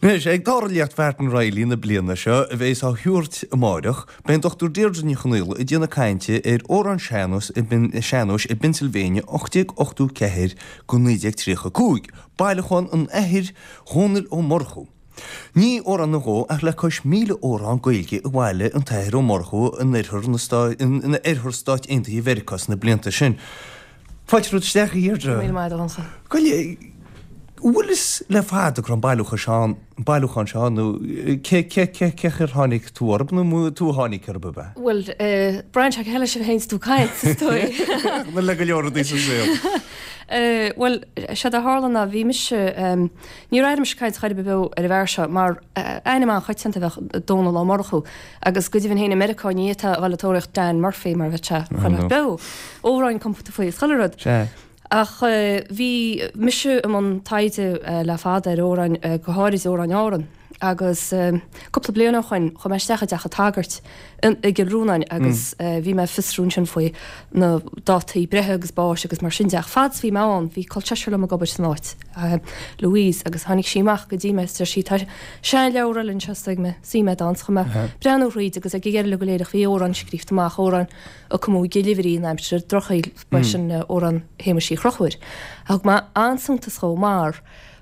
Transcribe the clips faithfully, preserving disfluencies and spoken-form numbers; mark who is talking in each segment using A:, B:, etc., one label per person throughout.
A: Anois, ag dara léacht Mhartin Reilly na bliana seo, a bheas á thabhairt amáireach, beidh an Dochtúir Deirdre Ní Chonaola ag déanamh cainte ar amhráin sean-nóis i sean-nóis i bPennsylvania ocht déag ochtó ceathair go naoi déag tríocha a cúig, bailiúchán an Athar Dhónaill Ó Murchú. Ní amhrán nó dhó ach le cois míle amhrán Gaeilge a bhailigh an tAthair Ó Murchú in oirthear na in oirthear Stáit Aontaithe Mheiriceá sna blianta sin. Fáilte romhat isteach, a Dheirdre.
B: Míle maith, a Dhonncha.
A: Goile, bhfuil fhios le fada go raibh an bailiúchán seo ann, an bailiúchán seo ann nó cé cé cé cé chaoi ar tháinig tú orthu nó tú a tháinig orthu ab ea?
B: Bhuel, braitheann sé cé leis a théanns tú ag caint, is dóigh.
A: Nó le go leor rudaí sa saol.
B: Bhuel, séard a tharla ná bhí mise, níor airigh mise caint chor ar bith beo ar an bhfear seo mar ainm an-choitianta a bheadh Dónall Ó Murchú agus go deimhin féin i Meiriceá ní fhéadfá a dhul ag tóraíocht Dan Murphy mar bheadh sé chuile áit beo. Amhráin compánta faoi is chuile rud.
A: Sea.
B: Ach bhí mise i mbun taighde le fada ar amhráin, go háirid amhráin Árann, agus cúpla bliain ó shoin chuaigh mé isteach i dteach an tsagairt i gCill Rónáin agus bhí mé ag fiosrú ansin faoi na dátaí breithe agus báis agus mar sin de. Ach fad is bhí mé ann bhí col seisear liom ag obair san áit, Louise, agus tháinig sí amach go dtí mé is deir sí tá seanleabhar eile anseo is dóigh mé suim agat ann. So chuaigh mé ag breathnú thríd agus ag an deireadh go léir ach bhí amhrán scríofa amach, amhrán a cumadh i gCill Uimhrí in aimsir an Drochshaoil, ba é sin amhrán Shéamuis Uí Chonchúir. Thug mé an-suntas dhó mar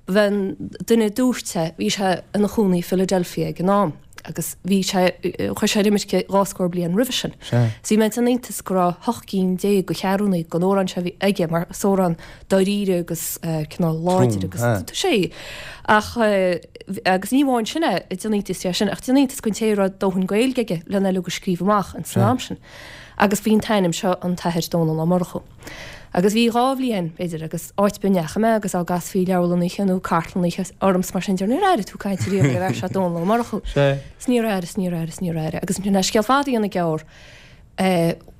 B: ba é an duine a dúirt é, bhí sé ina chónaí i Philadelphia ag an am agus bhí sé, chuaigh sé ar imirce dhá scór bliain roimhe sin. So bhí mé ag déanamh iontais go raibh hocht gcinn déag de cheathrúnaí den amhrán seo a bhí aige mar is amhrán dáiríre agus cineál láidir agus tá sé. Ach agus ní amháin sin é, ag déanamh iontais de sin, ach déanamh iontais den té a raibh dóthain Gaeilge aige lena uilig a scríobh amach ins an am sin. Agus bhí an t-ainm seo an tAthair Dónall Ó Murchú. Agus bhí dhá bhliain, b'fhéidir, agus áit ar bith a ndeachaigh mé agus á gcasfaí leabharlann oíche nó cartlann oíche orm 's mar sin de, níor airigh tú caint riamh ar an bhfear seo Dónall Ó Murchú. 'S níor airigh, 's níor airigh, 's níor airigh. Agus ansin le scéal fada a dhéanamh gearr,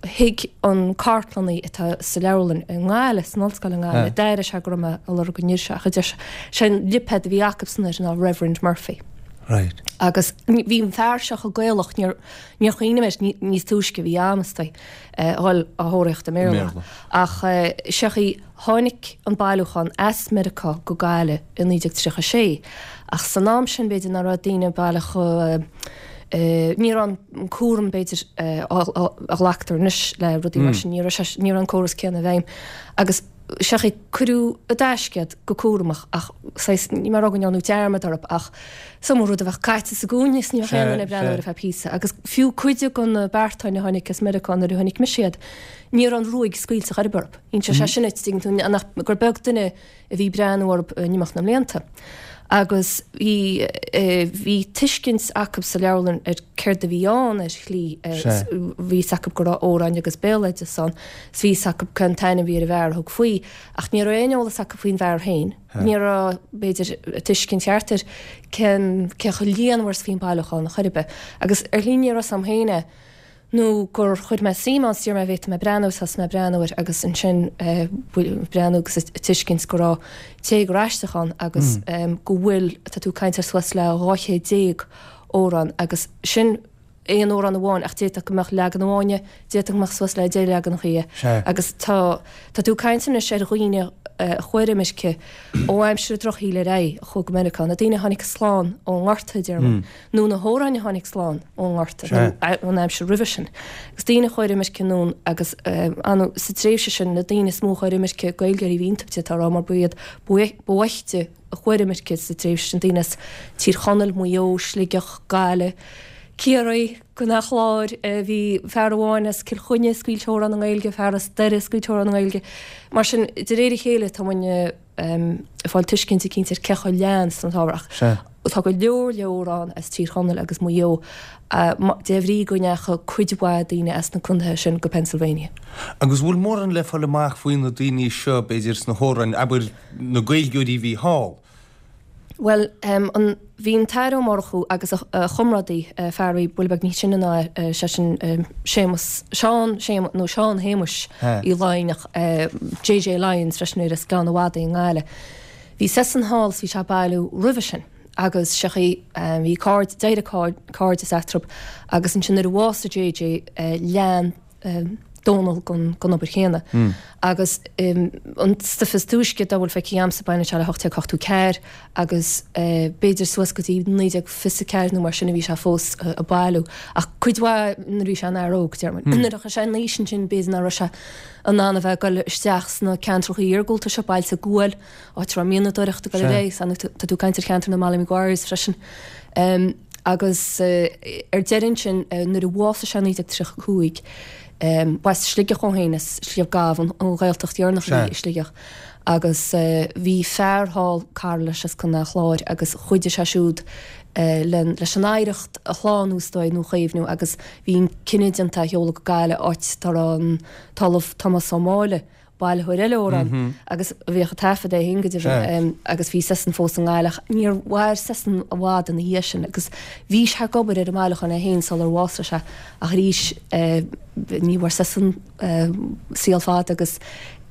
B: thuig an cartlannaí atá sa leabharlann i nGaillimh, san ollscoil i nGaillimh, d'airigh sé go raibh mé ag lorg an fhir seo ach a deir sé, sé an lipéad a bhí acubsan air ná Reverend Murphy.
A: Right.
B: Agus bhí an fear seo chomh Gaelach, níor, níor chuimhnigh mé air níos túisce, bhí am is dóigh a dhul á thóraíocht i mBéarla. Ach seo í, tháinig an bailiúchán as Meiriceá go Gaillimh i naoi déag tríocha sé, ach san am sin b'fhéidir nach raibh daoine baileach chomh, ní raibh an cúram b'fhéidir a ghlactar anois le rudaí mar sin, ní raibh sé, ní raibh an córas céanna i bhfeidhm. Agus seo í, cuireadh i dtaisce iad go cúramach ach saghas, níl mé ag rá go ndearnadh dearmad orthu ach is iomaí rud a bheadh caite sa gcúinne is ní bheadh aon duine ag breathnú air ar feadh píosa. Agus fiú cuid de na beartáin a tháinig as Meiriceá nuair a chonaic mise iad, ní raibh an ruaig scaoilte chor ar bith orthu. Inseoidh sé sin duit, tuigeann tú, nach, gur beag duine a bhí ag breathnú orthu in imeacht na mblianta. Agus bhí, bhí tuiscint acu sa leabharlann ar céard a bhí ann ar shlí, bhí fhios acu go raibh amhráin agus béaloideas ann, 's bhí fhios acu cén t-ainm a bhí ar an bhfear a thug faoi, ach ní raibh aon eolas acu faoin bhfear féin, ní raibh, b'fhéidir, tuiscint cheart ar cén, cé chomh líonmhar is bhí an bailiúchán chor ar bith. Agus ar shlí ní raibh fhios a'm féin é. nó gur chuir mé suim ann, 's d'iarr mé an bhféadfadh mé breathnú, thosaigh mé ag breathnú air agus ansin breathnú agus ag tuiscint go raibh téagar aisteach ann agus go bhfuil, tá tú ag caint ar suas le dhá chéad déag amhrán agus sin aon amhrán amháin ach d'fhéadfadh go mbeadh leagan amháin dhe, d'fhéadfadh go mbeadh suas le deich leaganacha dhe agus tá, tá tú ag caint anois ar dhaoine a chuaigh ar imirce ó aimsir an Drochshaoil ar aghaidh, a chuaigh go Meiriceá, na daoine a tháinig slán ón nGorta, a deir muid. nó na hamhráin a tháinig slán ón nGorta nó ón aimsir roimhe sin. Agus daoine a chuaigh ar imirce anonn agus anu sa tréimhse sin na daoine is mó a chuaigh ar imirce, Gaeilgeoirí a bhí iontu d'fhéadfá a rá mar ba iad ba bhoichte a chuaigh ar imirce sa tréimhse sin, daoine as Tír Chonaill, Maigh Eo, Sligeach, Gaillimh, Ciarraí, Contae an Chláir, bhí fear amháin as Cill Chainnigh ag scaoilt amhrán i nGaeilge, fear as Doire ag scaoilt amhrán i nGaeilge. Mar sin, de réir a chéile tá muidne ag fáil tuiscint eicínt ar cé chomh leathan is an t-ábhar ach tá go leor leor ann as Tír Chonaill agus Maigh Eo de bhrí go ndeachaigh cuid mhaith daoine as na contaetha sin go Pennsylvania.
A: Agus bhfuil mórán le fáil amach faoi na daoine seo, b'fhéidir, sna hamhráin, abair, na Gaeilgeoirí a bhí thall?
B: Bhuel, an, bhí an tAthair Ó Murchú agus a chomrádaí, fear a bhí buille beag níos sine ná é, sé sin Séamus, Seán, Séamus, nó Seán Shéamuis Uí Laighneach, J J Lyons freisin ar as Gleann an Mhadaidh i nGaillimh. Bhí seisean thall is bhí sé ag bailiú roimhe sin agus sé chaoi, bhí caird, d'éirigh cairdeas eatarthu agus ansin nuair a bhásaigh J J lean, Dónall gon gon obair chéanna. Agus an stuif is túisce dá bhfuil feicthe a'msa baineann sé le hocht déag ochtó ceathair agus b'fhéidir suas go dtí naoi déag fiche a ceathair nó mar sin a bhí sé fós ag bailiú. Ach cuid mhaith nuair a bhí sé ina fhear óg, deir muid. Nuair a chuaigh sé in aois ansin b'fhéidir nach raibh sé in ann a bheith ag dul isteach sna ceantracha iargúlta seo, bailte guail, áit a raibh mianadóireacht ag dul ar aghaidh, tá tú ag caint ar cheantar na Molly Maguires freisin. Agus ar deireadh ansin nuair a bhásaigh sé i naoi déag tríocha a cúig, B'as Sligeach dhó féin, as Sliabh Gamh, an Ghaeltacht dheireanach a bhí i Sligeach, agus bhí fear thall, cara leis as Contae an Chláir, agus chuidigh sé siúd leis an oidhreacht a shlánú is dóigh, nó a chaomhnú, agus bhí an cinneadh déanta é a sheoladh go Gaillimh, áit dá raibh an tOllamh Tomás Ó Máille, bailitheoir eile amhrán agus a bhíodh ag taifead é féin go deimhin agus bhí seisean fós i nGaillimh. Níor mhair seisean i bhfad ina dhiaidh sin agus bhí sé ag obair ar an mbailiúchán é féin sular bhásaigh sé ach arís ní bhfuair seisean saol fada agus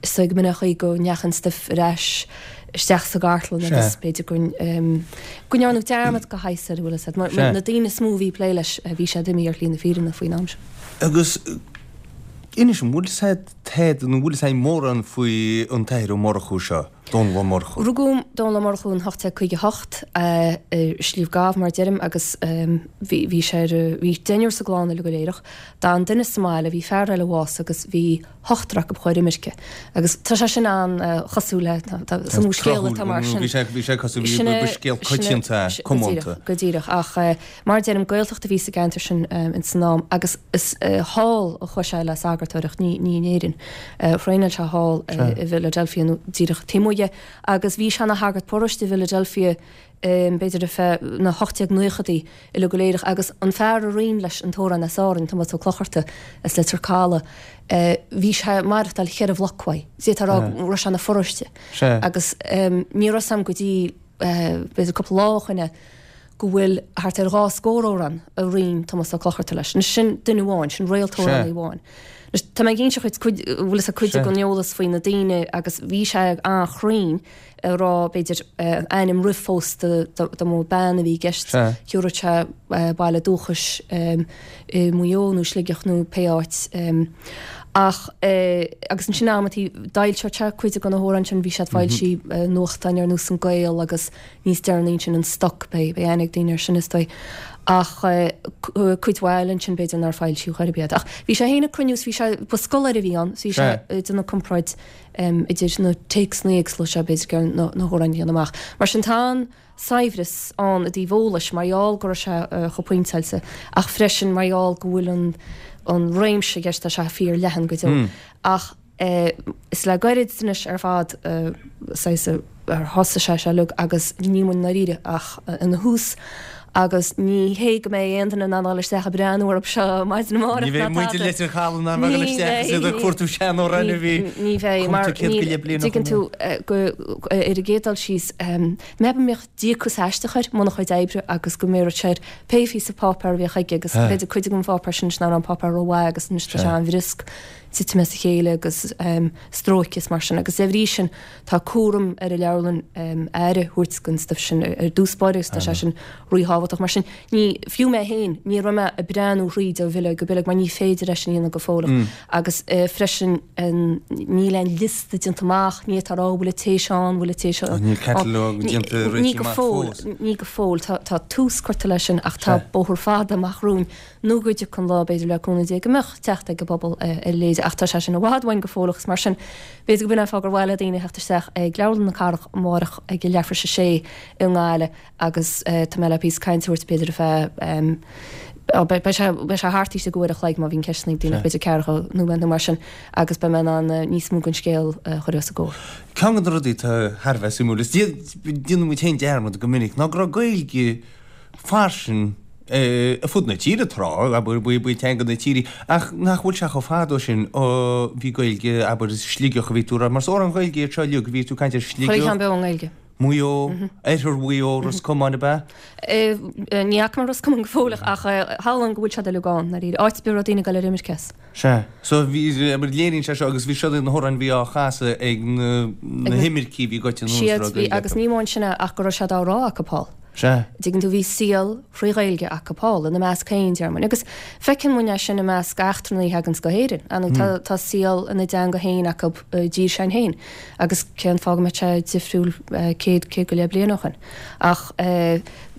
B: is dóigh go mb'in é an chaoi go ndeachaigh an stuif ar ais isteach sa gcartlann agus b'fhéidir go go ndearnadh dearmad de shaghas air, bhfuil a fhios agat, mar na daoine is mó a bhí ag plé leis bhí siad imithe ar shlí na fírinne faoin am sin.
A: Agus Inis dom, bhfuil a fhios a'd nó bhfuil a fhios a'inn mórán faoi an tAthair Ó Murchú seo, Dónall Ó Murchú?
B: Rugadh Dónall Ó Murchú in ocht déag caoga a hocht i Sliabh Gamh, mar a deirim, agus bhí bhí sé ar bhí deichniúr sa gclann uile go léireach. D'fhan duine sa mbaile, bhí fear eile bhásaithe agus bhí ochtar acu chuaigh ar imirce. Agus tá sé sin an-chosúil le tá is iomaí scéal atá mar sin.
A: Bhí sé bhí sé cosúil bhí ba scéal coitianta é, comónta.
B: Go díreach, ach mar a deirim, Gaeltacht a bhí sa gceantar sin ins an am agus is thall a chuaigh sé le sagartóireacht, ní ní in Éirinn. Thraenáil sé thall i bhFiladelfia nó díreach taobh amuigh dhe agus bhí sé ina shagart paróiste i bhFiladelfia b'fhéidir ar feadh na hocht déag naochadaí uile go léireach agus an fear a roinn leis an t-amhrán as Árainn, Tomás Ó Clochartaigh as Leitir Caladh, bhí sé ag maireachtáil cheithre bhloc uaidh. D'fhéadfá a rá go raibh sé ina pharóiste agus ní raibh a fhios a'm go dtí b'fhéidir cúpla lá ó shoin é go bhfuil thart ar dhá scór amhrán a roinn Tomás Ó Clochartaigh leis. Anois sin duine amháin, sin réalt-amhránaí amháin. Anois tá mé ag inse dhuit cuid, bhfuil fhios a'd cuid den eolas faoi na daoine agus bhí sé an-chruinn ag rá b'fhéidir ainm roimh phósta dá mba bean a bhí i gceist, thiúrfadh sé baile dúchais i Maigh Eo nó Sligeach nó pé áit. Ach agus ansin amantaí d'fhoilseodh sé cuid de na hamhráin sin, bhí siad foilsithe i nuachtáin ar nós An Gael agus níos deireanaí ansin An Stoc, beidh aithne ag daoine air sin is dóigh. Ach cuid mhaith eile ansin b'fhéidir nár foilsíodh ar bith iad. Ach bhí sé féin ag cruinniú is bhí sé, ba scoláire a bhí ann, so bhí sé ag déanamh comparáid idir na téacsanna éagsúla seo b'fhéidir gur na hamhráin a dhéanamh amach. Mar sin tá an. saibhreas ann i dtaobh eolais mar gheall go raibh sé chomh pointeáilte ach freisin mar gheall go bhfuil an an réimse i gceist, tá sé fíor leathan go deo. Ach is le gairid anois ar fad saghas ar thosaigh sé seo uilig agus níl muid i ndáiríre ach ina thús agus ní hé go mbeidh aon duine in ann dul isteach ag breathnú orthu seo maidin amárach
A: Ní bheidh muintir Leitir Caladh in ann a dhul isteach is iad ag cuartú seanamhráin a bhí
B: Ní bheidh mar
A: cúpla céad go leith bliain ó
B: dtuigeann
A: shin.
B: tú go ar an gcéad dul síos Mé go mbíodh díocas aisteach air i mbun a chuid oibre agus go mbéaradh sé air pé phíosa páipéar a bhíodh aige agus b'fhéidir cuid den pháipéar sin anois nach raibh an páipéar rómhaith agus anois tá sé an-bhriosc titim as a chéile agus stróicthe is mar sin agus de bhrí sin tá cúram ar an leabharlann aire a thabhairt don stuif sin ar dtús báire agus tá sé sin ríthábhachtach. Mar sin ní, fiú mé féin, ní raibh mé ag breathnú thríd ó bhileog go bileog mar ní féidir é sin a dhéanamh go fóilleach agus freisin níl aon liosta déanta amach, ní fhéadfá a rá bhfuil an té seo ann, bhfuil an té seo ann.
A: Níl catalóg déanta
B: Ní go
A: réitithe amach
B: fóill,
A: fós.
B: ní go fóill. Tá, tá tús curtha leis sin ach tá bóthar fada amach romhainn nó go dtiocfaidh an lá, b'fhéidir le cúnamh Dé, go mbeadh teacht ag an bpobal ar a leithéid ach tá sé sin i bhfad uainn go fóilleach agus mar sin b'fhéidir go b'in an fáth gur mhaith le daoine theacht isteach ag Leabharlann na Cathrach amárach ag a leathuair tar éis a sé i nGaillimh agus tá mé le píosa cainte a thabhairt b'fhéidir ar feadh beidh sé beidh sé thart istigh uair a chloig má bhíonn ceisteanna ag daoine ach b'fhéidir ceathracha nóiméad nó mar sin agus beidh mé in ann níos mó den scéal a chur os a gcomhair.
A: Ceann de na rudaí atá thar a bheith suimiúil is déanann muid féin dearmad go minic ná go raibh Gaeilge fairsing ar fud na tíre tráth, abair, ba í teanga na tíre, ach nach bhfuil sé chomh fada ó sin ó bhí Gaeilge, abair, i Sligeach a bhí tú a rá, mar is amhrán Ghaeilge iad seo uilig, bhí tú ag caint ar
B: Chuile
A: Shligeach,
B: cheann beo i nGaeilge.
A: Maigh Eo, Oirthear Mhaigh Eo, Ros Comáin, ab ea?
B: Ní fhaca mé Ros Comáin go fóilleach ach shamhlóinn go bhfuil siad uilig ann, ndáiríre. Áit ar bith a raibh daoine ag dul ar imirce as.
A: Sea. So bhí, abair, léiríonn sé seo agus bhí siod iad na hamhráin a bhí á chasadh ag na
B: Ag na
A: himircigh a bhí goite anuas a
B: Siad,
A: raibh
B: bhí,
A: Gaeilge
B: agus
A: acu.
B: ní amháin sin é ach go raibh siad á rá acu thall.
A: Sea.
B: Dtuigeann tú, bhí saol thrí Ghaeilge acu thall, ina measc féin, deir muid. Agus feiceann muid é sin i measc eachtrannaigh a thaganns go hÉirinn. Ar ndóigh, tá, tá saol ina dteanga féin acu i dtír s'againn féin. Agus cén fáth go mbeadh sé difriúil céad, céad go leith bliain ó shin. Ach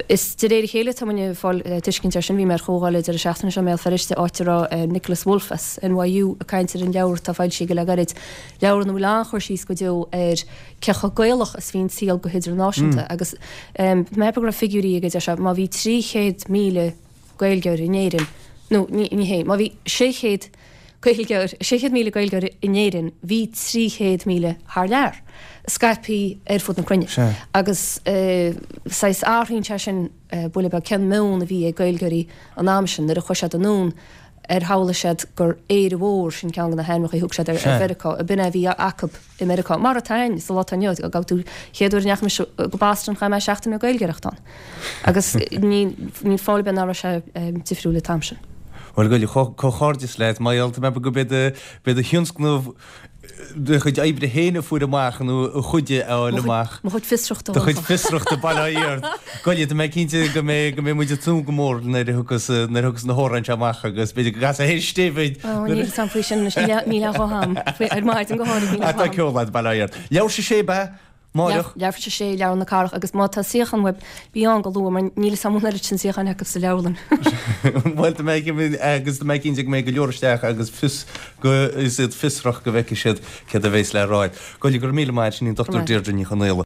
B: is de réir a chéile atá muid ag fáil tuiscint air sin. Bhí mé ar chomhdháil an deireadh seachtaine seo i mBéal Feirste, áit a raibh Nicholas Wolf as NYU ag caint ar an leabhar atá foilsithe aige le gairid, leabhar ina bhfuil an-chur síos go deo ar cé chomh Gaelach is bhí an saol go hidirnáisiúnta agus mé go raibh figiúirí aige deir sé má bhí trí chéad míle Gaeilgeoir in Éirinn nó ní ní hé má bhí sé chéad Gaeilgeoir sé chéad míle Gaeilgeoir in Éirinn bhí trí chéad míle thar lear scaipthe ar fud na cruinne agus saghas athraíonn sé sin buille beag cén meon a bhí ag Gaeilgeoirí an am sin nuair a chuaigh siad anonn ar shamhlaigh siad gur Éire Mhór, sin ceann de na hainmneacha a thug siad ar Mheiriceá, ab in é a bhí acu i Meiriceá, mar atá againn sa lá atá inniu, gabh tú, chéad uair a ndeachaigh mise go Boston chaith mé seachtain ag Gaeilgeoireacht ann. Agus níl fáth ar bith nach raibh sé difriúil an t-am sin.
A: Bhuel, a Ghoill, comhghairdeas leat, mar gheall, tá mé ag ceapadh go b'é do thionscnamh do chuid oibre féin a fuair amach nó a chuid a fháil amach.
B: Mo chuid fiosrachta.
A: Do chuid fiosrachta, bail ó Dhia ort. Goile, tá mé cinnte go mbeidh go mbeidh muid ag tnúth go mór nuair a thiocfas nuair a thiocfas na hamhráin seo amach agus b'fhéidir go gcasfaidh théis David.
B: Ó, níl fhios a'm faoi sin anois, níl aon ghuth a'm. Ar maidin go háirid níl aon ghuth
A: a'm. Tá ceol a'd, bail ó Dhia ort. Leathuair théis a sé ab ea? Amárach.
B: Leathuair théis a sé, Leabharlann na Cathrach agus má tá suíochán uaibh, bí ann go luath mar níl fhios a'm an oiread sin suíocháin acu sa leabharlann.
A: Bhuel, tá mé agus tá mé cinnte go mbeidh go leor isteach agus fios go is iad fiosrach go bhfeicfidh siad céard a bheas le rá. Goile, go raibh míle maith, sin í an Dochtúir Deirdre Ní Chonaola.